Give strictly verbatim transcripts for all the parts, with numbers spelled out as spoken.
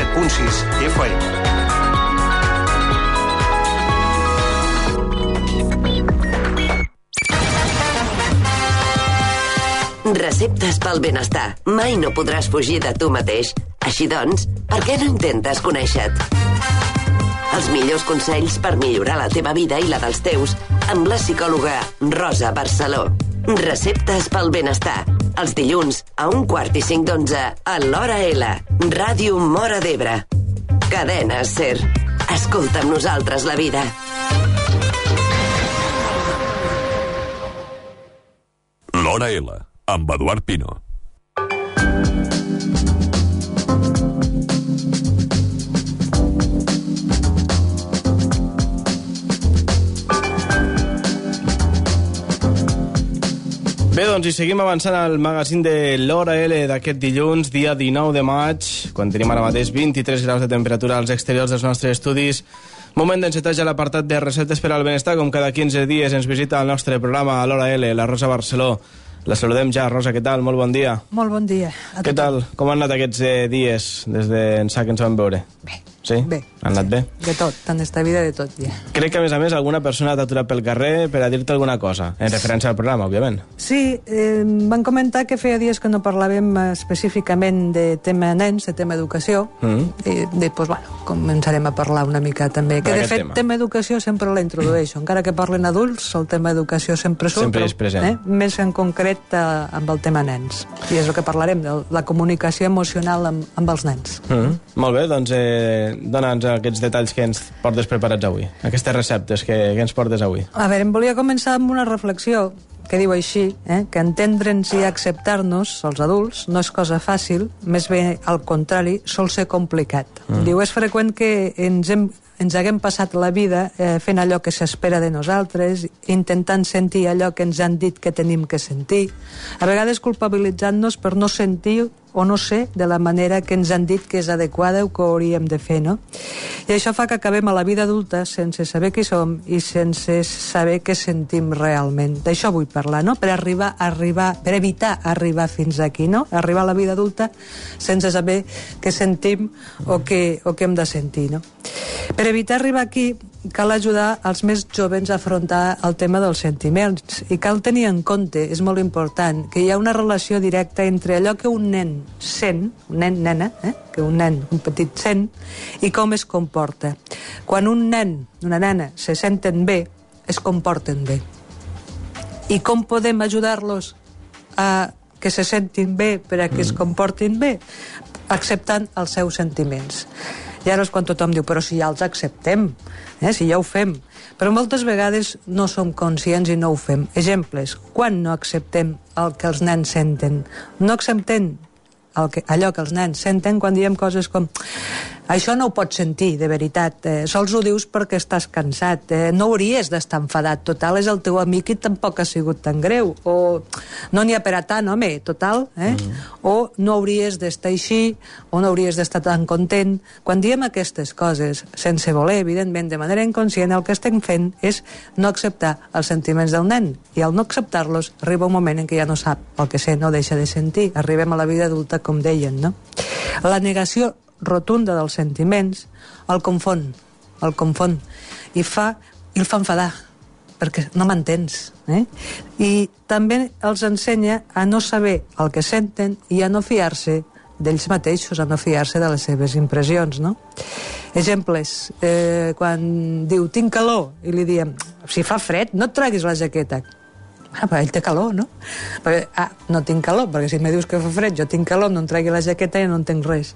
set punt sis F M. Receptes pel benestar. Mai no podràs fugir de tu mateix. Així doncs, per què no intentes conèixer-te? Els millors consells per millorar la teva vida i la dels teus amb la psicòloga Rosa Barceló. Receptes pel benestar. Els dilluns a un quart i cinc d'onze a l'Hora L. Ràdio Móra d'Ebre. Cadena Ser. Escolta amb nosaltres la vida. L'Hora L, amb Eduard Pino. Bé, doncs, i seguim avançant al magazín de l'Hora L d'aquest dilluns, dia dinou de maig, quan tenim ara mateix vint-i-tres graus de temperatura als exteriors dels nostres estudis. Moment d'encetar ja l'apartat de receptes per al benestar, com cada quinze dies ens visita al nostre programa a l'Hora L, la Rosa Barceló. La saludem ja. Rosa, què tal? Molt bon dia. Molt bon dia. Què tal? Com han anat aquests eh, dies des d'ençà que ens vam veure? Bé. Sí? Bé. Han anat bé? De tot, en esta vida de tot, ja. Crec que, a més a més, alguna persona t'ha aturat pel carrer per a dir-te alguna cosa, en referència al programa, òbviament. Sí, eh, van comentar que feia dies que no parlàvem específicament de tema nens, de tema educació, mm. i després, bueno, començarem a parlar una mica també. Que, de fet, tema. tema educació sempre l'introdueixo. Encara que parlen adults, el tema educació sempre surt, sempre és present. Eh, més en concret eh, amb el tema nens. I és el que parlarem, de la comunicació emocional amb, amb els nens. Mm. Molt bé, doncs eh, dona'ns aquests detalls que ens portes preparats avui, aquestes receptes que, que ens portes avui. A veure, em volia començar amb una reflexió que diu així, eh, que entendre'ns i acceptar-nos, els adults, no és cosa fàcil, més bé al contrari, sol ser complicat. Mm. Diu, és freqüent que ens hem ens haguem passat la vida eh, fent allò que s'espera de nosaltres, intentant sentir allò que ens han dit que tenim que sentir, a vegades culpabilitzant-nos per no sentir o no ser de la manera que ens han dit que és adequada o que hauríem de fer, no? I això fa que acabem a la vida adulta sense saber qui som i sense saber què sentim realment. D'això vull parlar, no? Per arribar, arribar, per evitar arribar fins aquí, no? Arribar a la vida adulta sense saber què sentim o què, o què hem de sentir, no? Per evitar arribar aquí cal ajudar els més joves a afrontar el tema dels sentiments i cal tenir en compte, és molt important, que hi ha una relació directa entre allò que un nen sent, un nen, nena, eh? que un nen, un petit sent, i com es comporta. Quan un nen, una nena, se senten bé, es comporten bé. I com podem ajudar-los a que se sentin bé per a que es comportin bé? Acceptant els seus sentiments. I ara és quan tothom diu, però si ja els acceptem, eh, si ja ho fem. Però moltes vegades no som conscients i no ho fem. Exemples, quan no acceptem el que els nens senten? No acceptem el que, allò que els nens senten quan diem coses com això no ho pots sentir, de veritat, eh, sols ho dius perquè estàs cansat, eh, no hauries d'estar enfadat, total, és el teu amic i tampoc ha sigut tan greu, o no n'hi ha per a tant, home, total, eh? Mm. O no hauries d'estar així, o no hauries d'estar tan content. Quan diem aquestes coses, sense voler, evidentment, de manera inconscient, el que estem fent és no acceptar els sentiments del nen, i al no acceptar-los arriba un moment en què ja no sap el que sent, no deixa de sentir. Arribem a la vida adulta, com deien, no? La negació rotunda dels sentiments el confon, el confon i fa, i el fa enfadar perquè no m'entens, eh? I també els ensenya a no saber el que senten i a no fiar-se d'ells mateixos, a no fiar-se de les seves impressions, no? Exemples, eh, quan diu tinc calor i li diem si fa fred no et treguis la jaqueta. Ah, però ell té calor, no? Perquè, ah, no tinc calor, perquè si me dius que fa fred, jo tinc calor, no em tregui la jaqueta i no entenc res.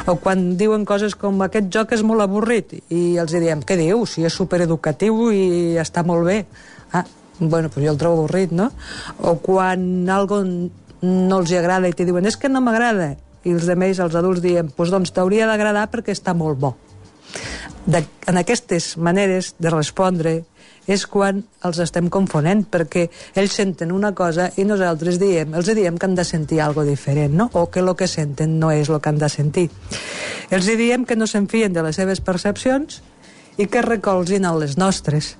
O quan diuen coses com aquest joc és molt avorrit i els diem, què diu? Si és supereducatiu i està molt bé. Ah, bueno, doncs jo el trobo avorrit, no? O quan algo no els agrada i te diuen, és que no m'agrada, i els altres, els adults, diem, doncs, doncs t'hauria d'agradar perquè està molt bo. De, en aquestes maneres de respondre és quan els estem confonent, perquè ells senten una cosa i nosaltres diem, els diem que han de sentir alguna cosa diferent, no? O que el que senten no és el que han de sentir. Els diem que no s'enfien de les seves percepcions i que recolzin a les nostres.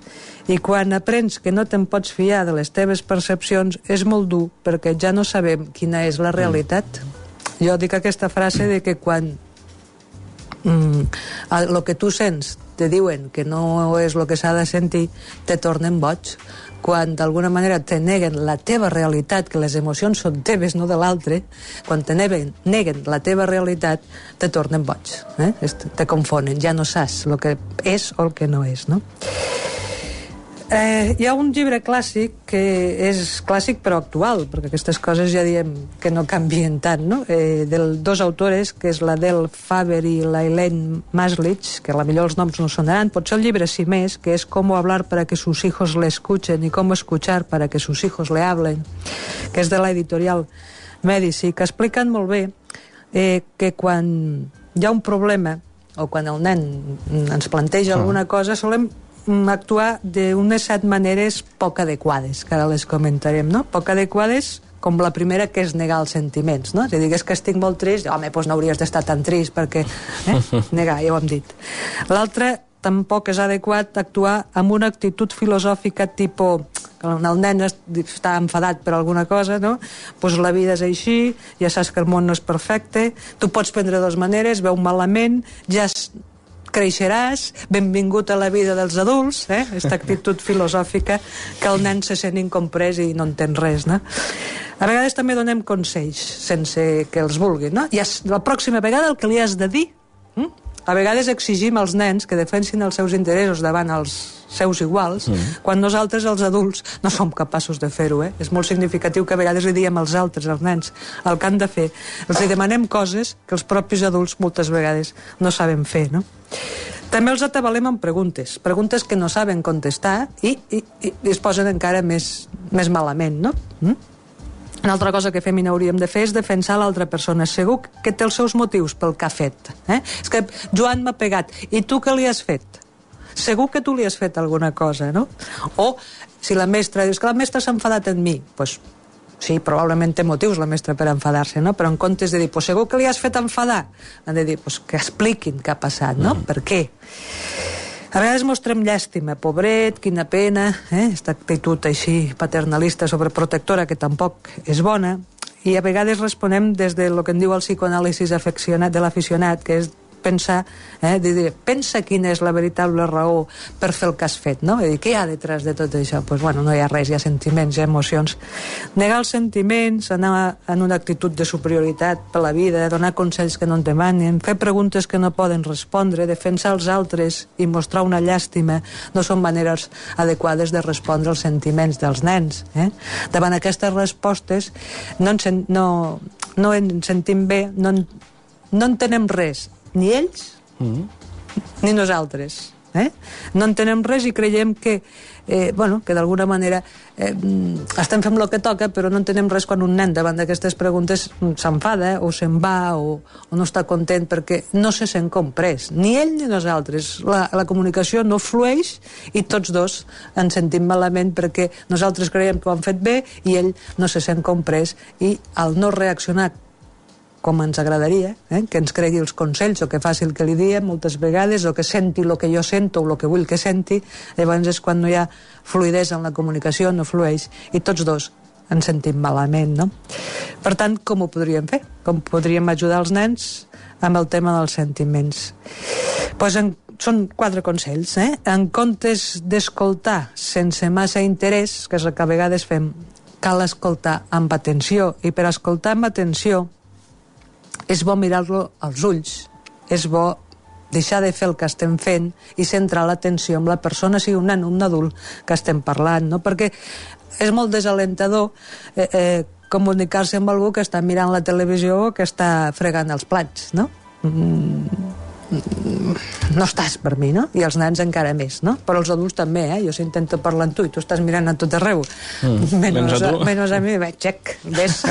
I quan aprens que no te'n pots fiar de les teves percepcions és molt dur, perquè ja no sabem quina és la realitat. Jo dic aquesta frase de que quan mm, el que tu sents te diuen que no és el que s'ha de sentir, te tornen boig. Quan d'alguna manera te neguen la teva realitat, que les emocions són teves, no de l'altre, quan te neguen, neguen la teva realitat, te tornen boig, eh? Te confonen, ja no saps el que és o el que no és, no? Eh, hi ha un llibre clàssic que és clàssic però actual, perquè aquestes coses ja diem que no canvien tant, no? Eh, dels dos autores, que és la Del Faber i la Elaine Maslich, que a la millor els noms no sonaran, potser el llibre sí més, que és Cómo hablar para que sus hijos le escuchen y cómo escuchar para que sus hijos le hablen, que és de l'editorial Medici, que expliquen molt bé eh, que quan hi ha un problema o quan el nen ens planteja alguna cosa, solem actuar d'unes set maneres poc adequades, que ara les comentarem, no? Poc adequades, com la primera, que és negar els sentiments, no? Si digués que estic molt trist, home, doncs no hauries d'estar tan trist, perquè... Eh? Negar, ja ho hem dit. L'altra, tampoc és adequat actuar amb una actitud filosòfica tipus... el nen està enfadat per alguna cosa, no? Pues la vida és així, ja saps que el món no és perfecte, tu pots prendre de dues maneres, veu malament, ja creixeràs, benvingut a la vida dels adults, eh? Aquesta actitud filosòfica que el nen se sent incomprès i no entén res, no? A vegades també donem consells sense que els vulguin, no? I la pròxima vegada el que li has de dir, hm? A vegades exigim als nens que defensin els seus interessos davant els seus iguals, mm. quan nosaltres, els adults, no som capaços de fer-ho, eh? És molt significatiu que a vegades li diem als altres, als nens, el que han de fer. Els demanem coses que els propis adults moltes vegades no saben fer, no? També els atabalem amb preguntes, preguntes que no saben contestar i, i, i es posen encara més, més malament, no? Mm? Una altra cosa que fem i n'hauríem de fer és defensar l'altra persona. Segur que té els seus motius pel que ha fet. Eh? És que Joan m'ha pegat. I tu què li has fet? Segur que tu li has fet alguna cosa, no? O si la mestra dius que la mestra s'ha enfadat en mi, doncs sí, probablement té motius la mestra per enfadar-se, no? Però en comptes de dir, pues segur que li has fet enfadar, han de dir, pues que expliquin què ha passat, no? Mm. Per què? A vegades mostrem llàstima, pobret, quina pena, eh? Aquesta actitud així paternalista, sobreprotectora, que tampoc és bona, i a vegades responem des de lo que en diu el psicoanàlisis afeccionat de l'aficionat, que és pensar, eh, de dir, pensa quina és la veritable raó per fer el que has fet, no? I dir, què hi ha detrás de tot això? Pues, bueno, no hi ha res, hi ha sentiments, hi ha emocions. Negar els sentiments, anar en una actitud de superioritat per la vida, donar consells que no en demanen, fer preguntes que no poden respondre, defensar els altres i mostrar una llàstima, no són maneres adequades de respondre als sentiments dels nens. Eh? Davant aquestes respostes no en, no, no en sentim bé, no en, no entenem res, ni ells mm. ni nosaltres, eh? No entenem res i creiem que eh, bueno, que d'alguna manera eh, estem fent el que toca, però no entenem res quan un nen davant d'aquestes preguntes s'enfada o se'n va o, o no està content perquè no se sent comprès, ni ell ni nosaltres. La, la comunicació no flueix i tots dos ens sentim malament perquè nosaltres creiem que ho han fet bé i ell no se sent comprès, i al no reaccionar com ens agradaria, eh? Que ens cregui els consells o que faci el que li diem moltes vegades, o que senti el que jo sento o el que vull que senti, llavors és quan no hi ha fluïdesa en la comunicació, no flueix, i tots dos ens sentim malament, no? Per tant, com ho podríem fer? Com podríem ajudar els nens amb el tema dels sentiments? Pues en, són quatre consells, eh? En comptes d'escoltar sense massa interès, que és el que a vegades fem, cal escoltar amb atenció, i per escoltar amb atenció és bo mirar-lo als ulls, és bo deixar de fer el que estem fent i centrar l'atenció en la persona, sigui un nen o un adult, que estem parlant, no? Perquè és molt desalentador eh, eh, comunicar-se amb algú que està mirant la televisió o que està fregant els plats, no? Mm, no estàs per mi, no? I els nens encara més, no? Però els adults també, eh? Jo s'intento parlar amb tu i tu estàs mirant a tot arreu, mm, menys, a, a menys a mi, bé, xec, ves.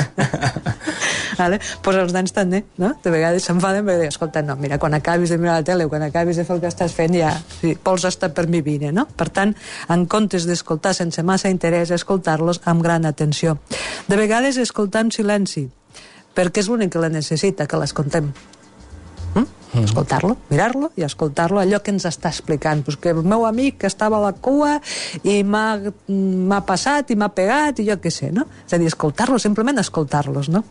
Vale? Pues els nens també, no? De vegades s'enfaden perquè diuen, escolta, no, mira, quan acabis de mirar la tele o quan acabis de fer el que estàs fent ja, sí, vols estar per mi vine, no? Per tant, en comptes d'escoltar sense massa interès, escoltar-los amb gran atenció. De vegades escoltar en silenci, perquè és l'únic que la necessita, que l'escoltem. Mm? Mm. Escoltar-lo, mirar-lo i escoltar-lo, allò que ens està explicant, pues que el meu amic que estava a la cua i m'ha passat i m'ha pegat i jo què sé, no? És a dir, escoltar-los, simplement escoltar-los, no?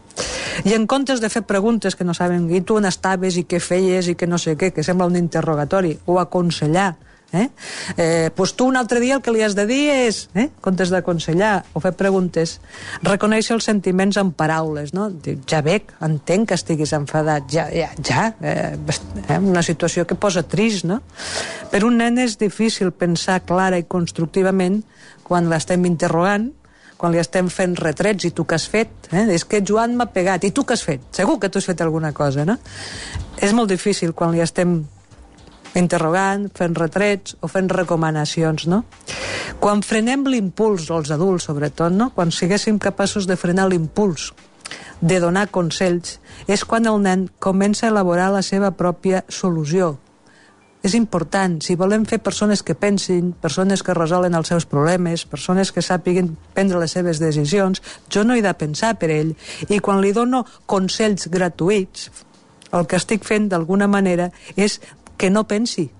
I en comptes de fer preguntes que no saben, i tu on estaves, i què feies, i que no sé què, que sembla un interrogatori, o aconsellar, Eh? Eh, pues tu un altre dia el que li has de dir és, eh? en comptes d'aconsellar o fer preguntes, reconèixer els sentiments amb paraules, no? Ja veig, entenc que estiguis enfadat, ja, ja, ja eh, eh? una situació que posa trist, no? Per un nen és difícil pensar clara i constructivament quan l'estem interrogant, quan li estem fent retrets, i tu què has fet? Eh? És que Joan m'ha pegat, i tu què has fet? Segur que tu has fet alguna cosa, no? És molt difícil quan li estem interrogant, fent retrets o fent recomanacions, no? Quan frenem l'impuls, els adults sobretot, no? Quan siguéssim capaços de frenar l'impuls de donar consells, és quan el nen comença a elaborar la seva pròpia solució. És important, si volem fer persones que pensin, persones que resolen els seus problemes, persones que sàpiguen prendre les seves decisions, jo no he de pensar per ell, i quan li dono consells gratuïts, el que estic fent d'alguna manera és que no pensi.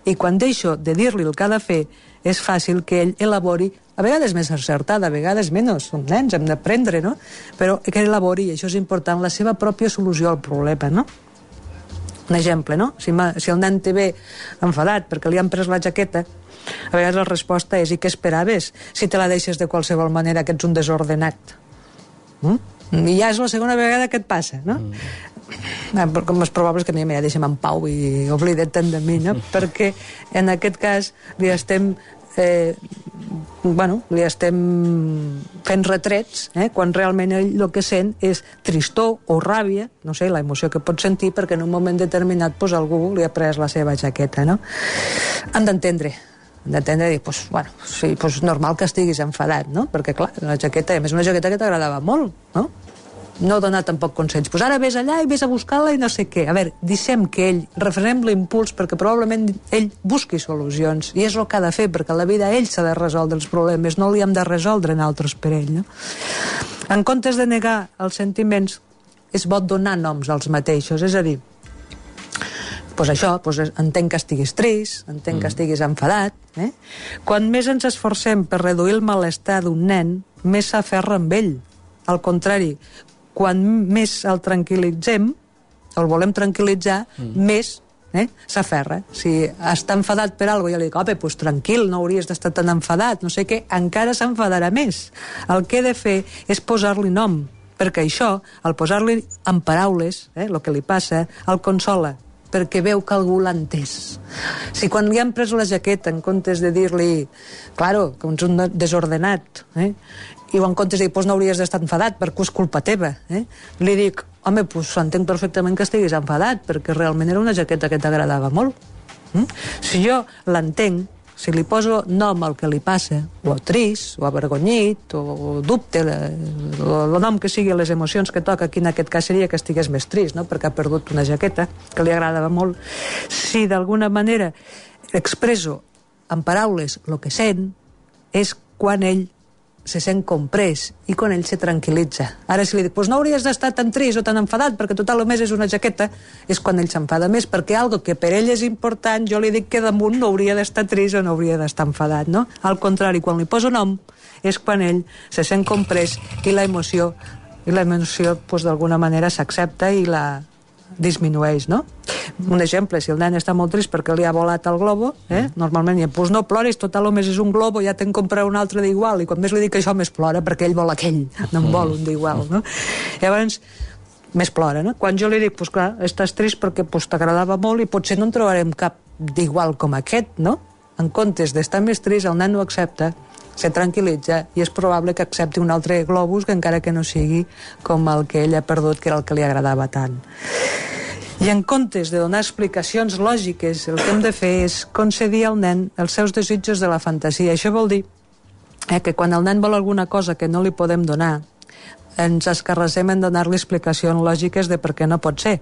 I quan deixo de dir-li el que ha de fer, és fàcil que ell elabori, a vegades més encertada, a vegades menys, som nens, hem d'aprendre, no? Però que elabori, i això és important, la seva pròpia solució al problema, no? Un exemple, no? Si, si el nen te ve enfadat perquè li han pres la jaqueta, a vegades la resposta és: i què esperaves si te la deixes de qualsevol manera, que ets un desordenat? Mm? I ja és la segona vegada que et passa, no? Mm. Com és probable que a mi ja deixem en pau i oblida't tant de mi, no? Perquè en aquest cas li estem eh, bueno, li estem fent retrets, eh, quan realment ell el que sent és tristor o ràbia, no sé, la emoció que pot sentir perquè en un moment determinat pues, algú li ha pres la seva jaqueta, no? Han d'entendre d'entendre i dir, pues, bueno, sí, pues normal que estiguis enfadat, no? Perquè clar, la jaqueta, a més una jaqueta que t'agradava molt, no? No donar tampoc consells, pues ara vés allà i vés a buscar-la i no sé què. A veure, deixem que ell, refrenem l'impuls perquè probablement ell busqui solucions, i és el que ha de fer, perquè a la vida ell s'ha de resoldre els problemes, no li hem de resoldre nosaltres per ell, no? En comptes de negar els sentiments, és bo donar noms als mateixos, és a dir, pues això, pues entenc que estiguis trist, entenc mm. que estiguis enfadat, eh? Quan més ens esforcem per reduir el malestar d'un nen, més s'aferra amb ell. Al contrari, quan més el tranquil·litzem, el volem tranquil·litzar, mm. més eh, s'aferra. Si està enfadat per alguna cosa, jo li dic, home, doncs tranquil, no hauries d'estar tan enfadat, no sé què, encara s'enfadarà més. El que he de fer és posar-li nom, perquè això, al posar-li en paraules, eh, el que li passa, el consola, perquè veu que algú l'ha entès. Si quan li han pres la jaqueta, en comptes de dir-li, claro, que ets un desordenat, eh, i en comptes de dir, doncs no hauries d'estar enfadat perquè és culpa teva, eh? Li dic, home, doncs entenc perfectament que estiguis enfadat perquè realment era una jaqueta que t'agradava molt. Mm? Si jo l'entenc, si li poso nom al que li passa, o trist, o avergonyit, o dubte, el nom que sigui, les emocions que toca, aquí en aquest cas seria que estigués més trist, no? Perquè ha perdut una jaqueta que li agradava molt. Si d'alguna manera expresso en paraules el que sent, és quan ell se sent comprès i quan ell se tranquil·litza. Ara si li dic, doncs no hauries d'estar tan trist o tan enfadat perquè total només és una jaqueta, és quan ell s'enfada més, perquè algo que per ell és important, jo li dic que damunt no hauria d'estar trist o no hauria d'estar enfadat, no? Al contrari, quan li poso nom, és quan ell se sent comprès i la emoció, i la emoció, doncs d'alguna manera s'accepta i la disminueix, no? Un exemple, si el nen està molt trist perquè li ha volat el globo, eh? Normalment diuen, doncs no ploris, total només és un globo, ja te'n compraré un altre d'igual, i quan més li dic això més plora perquè ell vol aquell, no en vol un d'igual, no? Llavors, més plora, no? Quan jo li dic, doncs clar, estàs trist perquè pues, t'agradava molt i potser no en trobarem cap d'igual com aquest, no? En comptes d'estar més trist, el nen ho accepta, se tranquil·litza i és probable que accepti un altre globus que encara que no sigui com el que ell ha perdut, que era el que li agradava tant. I en comptes de donar explicacions lògiques, el que hem de fer és concedir al nen els seus desitjos de la fantasia. Això vol dir eh, que quan el nen vol alguna cosa que no li podem donar, ens escarrassem en donar-li explicacions lògiques de per què no pot ser.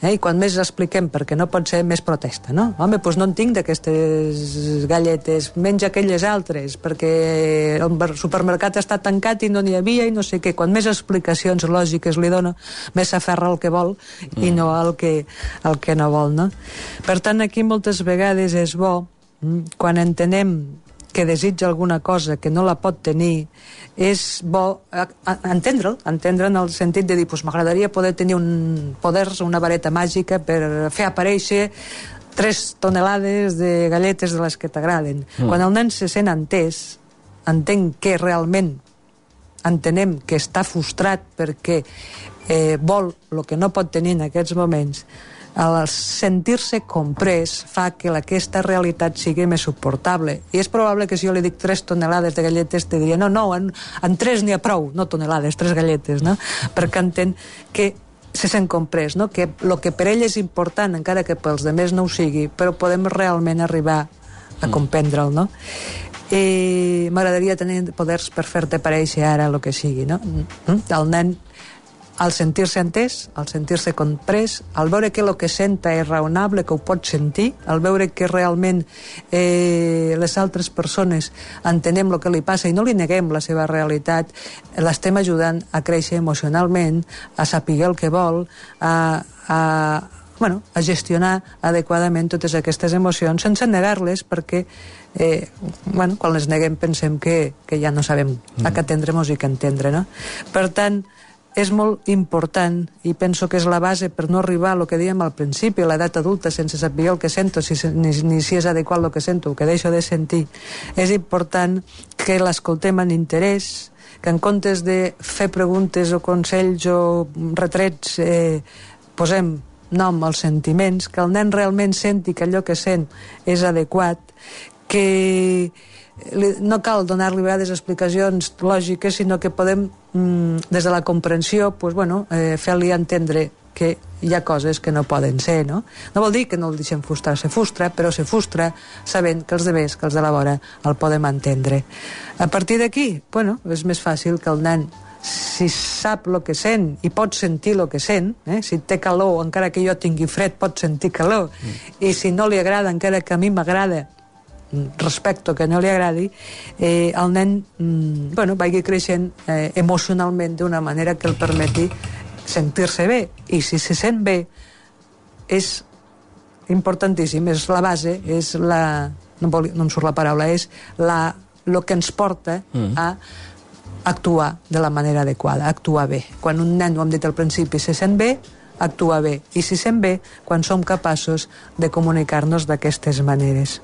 Eh? I quan més expliquem per què no pot ser, més protesta, no? Home, doncs no en tinc d'aquestes galletes, menja aquelles altres, perquè el supermercat està tancat i no n'hi havia i no sé què. Quan més explicacions lògiques li dono, més s'aferra al que vol i no al que, al que no vol, no? Per tant, aquí moltes vegades és bo, quan entenem que desitja alguna cosa que no la pot tenir, és bo entendre'l, entendre en el sentit de dir, pues, m'agradaria poder tenir un poders, una vareta màgica per fer aparèixer tres tonelades de galletes de les que t'agraden. Mm. Quan el nen se sent entès, entén que realment entenem que està frustrat perquè eh, vol el que no pot tenir en aquests moments, el sentir-se comprès fa que aquesta realitat sigui més suportable. I és probable que si jo li dic tres tonelades de galletes te diria, no, no, en, en tres n'hi ha prou, no tonelades, tres galletes, no? Perquè entén que se sent comprès, no? Que el que per ell és important, encara que pels demés no ho sigui, però podem realment arribar a comprendre'l, no? I m'agradaria tenir poders per fer-te aparèixer ara el que sigui, no? El nen, al sentir-se entès, al sentir-se comprès, al veure que el que senta és raonable, que ho pot sentir, al veure que realment eh, les altres persones entenem el que li passa i no li neguem la seva realitat, l'estem ajudant a créixer emocionalment, a saber el que vol, a, a, bueno, a gestionar adequadament totes aquestes emocions sense negar-les, perquè eh, bueno, quan les neguem pensem que, que ja no sabem a què atendre-nos i què entendre, no? Per tant, és molt important, i penso que és la base per no arribar a lo que dèiem al principi, a l'edat adulta, sense saber el que sento, si, ni, ni si és adequat el que sento, o que deixo de sentir. És important que l'escoltem amb interès, que en comptes de fer preguntes o consells o retrets eh, posem nom als sentiments, que el nen realment senti que allò que sent és adequat, que no cal donar-li a vegades explicacions lògiques, sinó que podem, des de la comprensió, pues, bueno, eh, fer-li entendre que hi ha coses que no poden ser, no? No vol dir que no el deixem frustrar, se frustra, però se frustra sabent que els demés, que els de la vora, el podem entendre. A partir d'aquí, bueno, és més fàcil que el nen, si sap el que sent i pot sentir el que sent, eh? Si té calor, encara que jo tingui fred, pot sentir calor, mm. i si no li agrada, encara que a mi m'agrada, respecto que no li agradi, eh, el nen mm, bueno, vagi creixent eh, emocionalment d'una manera que el permeti sentir-se bé, i si se sent bé és importantíssim, és la base, és la, no, vol, no em surt la paraula, és la, lo que ens porta mm. a actuar de la manera adequada, actuar bé. Quan un nen, ho hem dit al principi, se sent bé, actua bé, i si sent bé quan som capaços de comunicar-nos d'aquestes maneres.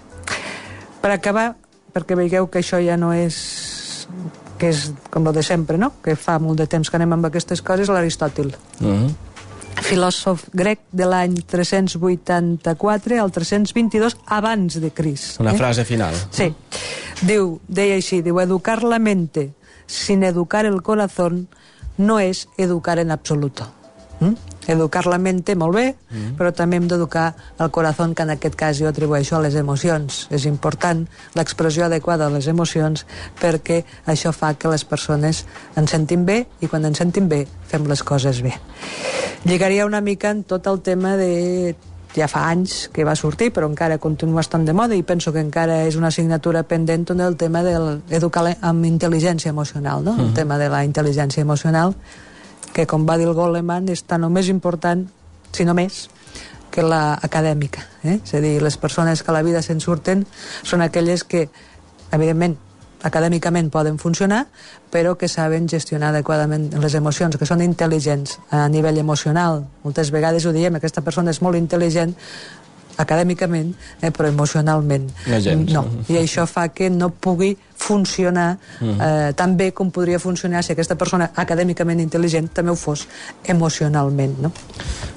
Per acabar, perquè veieu que això ja no és, que és com el de sempre, no? Que fa molt de temps que anem amb aquestes coses, l'Aristòtil. Uh-huh. Filòsof grec de l'any tres-cents vuitanta-quatre al tres-cents vint-i-dos abans de Crist. Una eh? frase final. Sí. Diu, deia així, diu, educar la mente sin educar el corazón no es educar en absoluto. ¿Mm? Educar la mente, molt bé, mm. però també hem d'educar el corazón, que en aquest cas jo atribueixo a les emocions. És important l'expressió adequada de les emocions, perquè això fa que les persones ens sentim bé, i quan ens sentim bé fem les coses bé. Lligaria una mica en tot el tema de... ja fa anys que va sortir, però encara continua estant de moda, i penso que encara és una assignatura pendent, on el tema d'educar amb intel·ligència emocional, no? Mm. El tema de la intel·ligència emocional, que, com va dir el Goleman, és tant o més important, si no més, que l'acadèmica. Eh? És a dir, les persones que a la vida se'n surten són aquelles que, evidentment, acadèmicament poden funcionar, però que saben gestionar adequadament les emocions, que són intel·ligents a nivell emocional. Moltes vegades ho diem, aquesta persona és molt intel·ligent acadèmicament, eh, però emocionalment no. I això fa que no pugui funcionar eh, tan bé com podria funcionar si aquesta persona acadèmicament intel·ligent també ho fos emocionalment, no?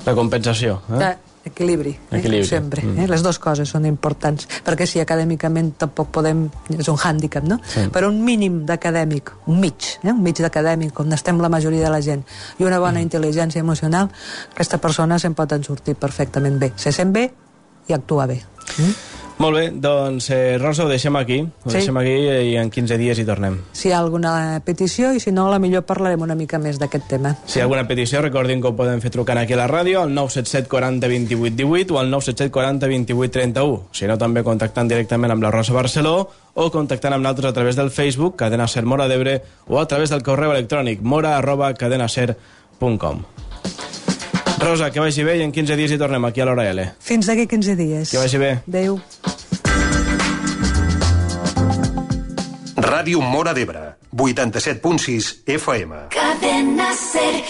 La compensació, eh? Equilibri, Equilibri. Eh? sempre. Mm. Eh? Les dues coses són importants, perquè si acadèmicament tampoc podem... És un hàndicap, no? Sí. Però un mínim d'acadèmic, un mig, eh? un mig d'acadèmic, on estem la majoria de la gent, i una bona mm. intel·ligència emocional, aquesta persona se'n pot en sortir perfectament bé. Se sent bé i actua bé. Mm? Molt bé, doncs eh, Rosa, ho deixem aquí. Ho sí. deixem aquí i en quinze dies hi tornem. Si hi ha alguna petició, i si no, a la millor parlarem una mica més d'aquest tema. Si hi ha alguna petició, recordin que ho poden fer trucant aquí a la ràdio, al nou set set quaranta vint-i-vuit divuit o al nou set set quaranta vint-i-vuit trenta-u. Si no, també contactant directament amb la Rosa Barceló o contactant amb nosaltres a través del Facebook, Cadena Ser Mora d'Ebre, o a través del correu electrònic mora arroba cadenaser punt com. Rosa, que vagi bé i en quinze dies hi tornem aquí a l'Hora L. Fins d'aquí quinze dies. Que vagi bé. Adéu. Ràdio Móra d'Ebre, vuitanta-set punt sis F M. Cadena Ser,